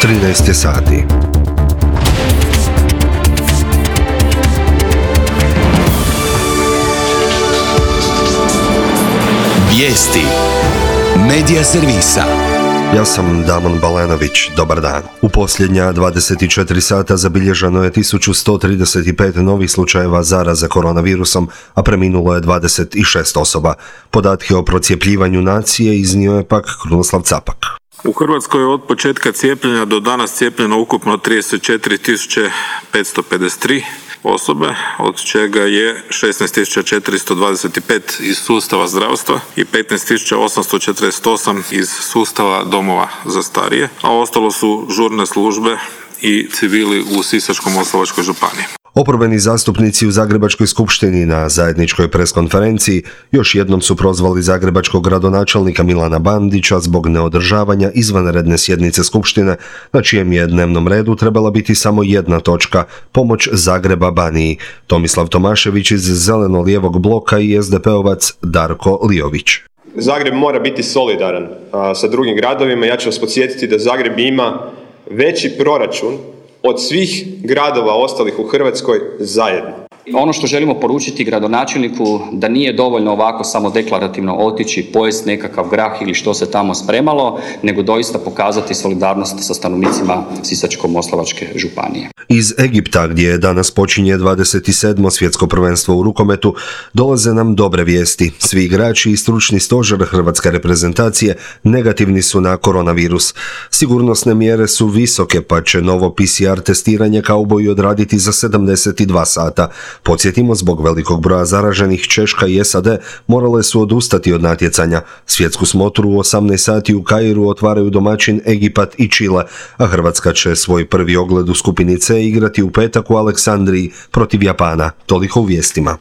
13 je sati. Vijesti Medija servisa. Ja sam Damon Balenović, dobar dan. U posljednja 24 sata zabilježeno je 1135 novih slučajeva zaraze koronavirusom, a preminulo je 26 osoba. Podatke o procijepljivanju nacije iznio je pak Krunoslav Capak. U Hrvatskoj je od početka cijepljenja do danas cijepljeno ukupno 34.553 osobe, od čega je 16.425 iz sustava zdravstva i 15.848 iz sustava domova za starije, a ostalo su žurne službe i civili u Sisačko-moslavačkoj županiji. Oporbeni zastupnici u Zagrebačkoj skupštini na zajedničkoj preskonferenciji još jednom su prozvali zagrebačkog gradonačelnika Milana Bandića zbog neodržavanja izvanredne sjednice skupštine, na čijem je dnevnom redu trebala biti samo jedna točka, pomoć Zagreba Baniji. Tomislav Tomašević iz Zeleno-lijevog bloka i SDP-ovac Darko Lijović. Zagreb mora biti solidaran sa drugim gradovima. Ja ću vas podsjetiti da Zagreb ima veći proračun od svih gradova ostalih u Hrvatskoj zajedno. Ono što želimo poručiti gradonačelniku da nije dovoljno ovako samo deklarativno otići, pojesti nekakav grah ili što se tamo spremalo, nego doista pokazati solidarnost sa stanovnicima Sisačko-moslavačke županije. Iz Egipta, gdje danas počinje 27. svjetsko prvenstvo u rukometu, dolaze nam dobre vijesti. Svi igrači i stručni stožer hrvatske reprezentacije negativni su na koronavirus. Sigurnosne mjere su visoke, pa će novo PCR testiranje kauboji odraditi za 72 sata. Podsjetimo, zbog velikog broja zaraženih Češka i SAD morale su odustati od natjecanja. Svjetsku smotru u 18 sati u Kairu otvaraju domaćin Egipat i Čile, a Hrvatska će svoj prvi ogled u skupini C igrati u petak u Aleksandriji protiv Japana. Toliko u vijestima.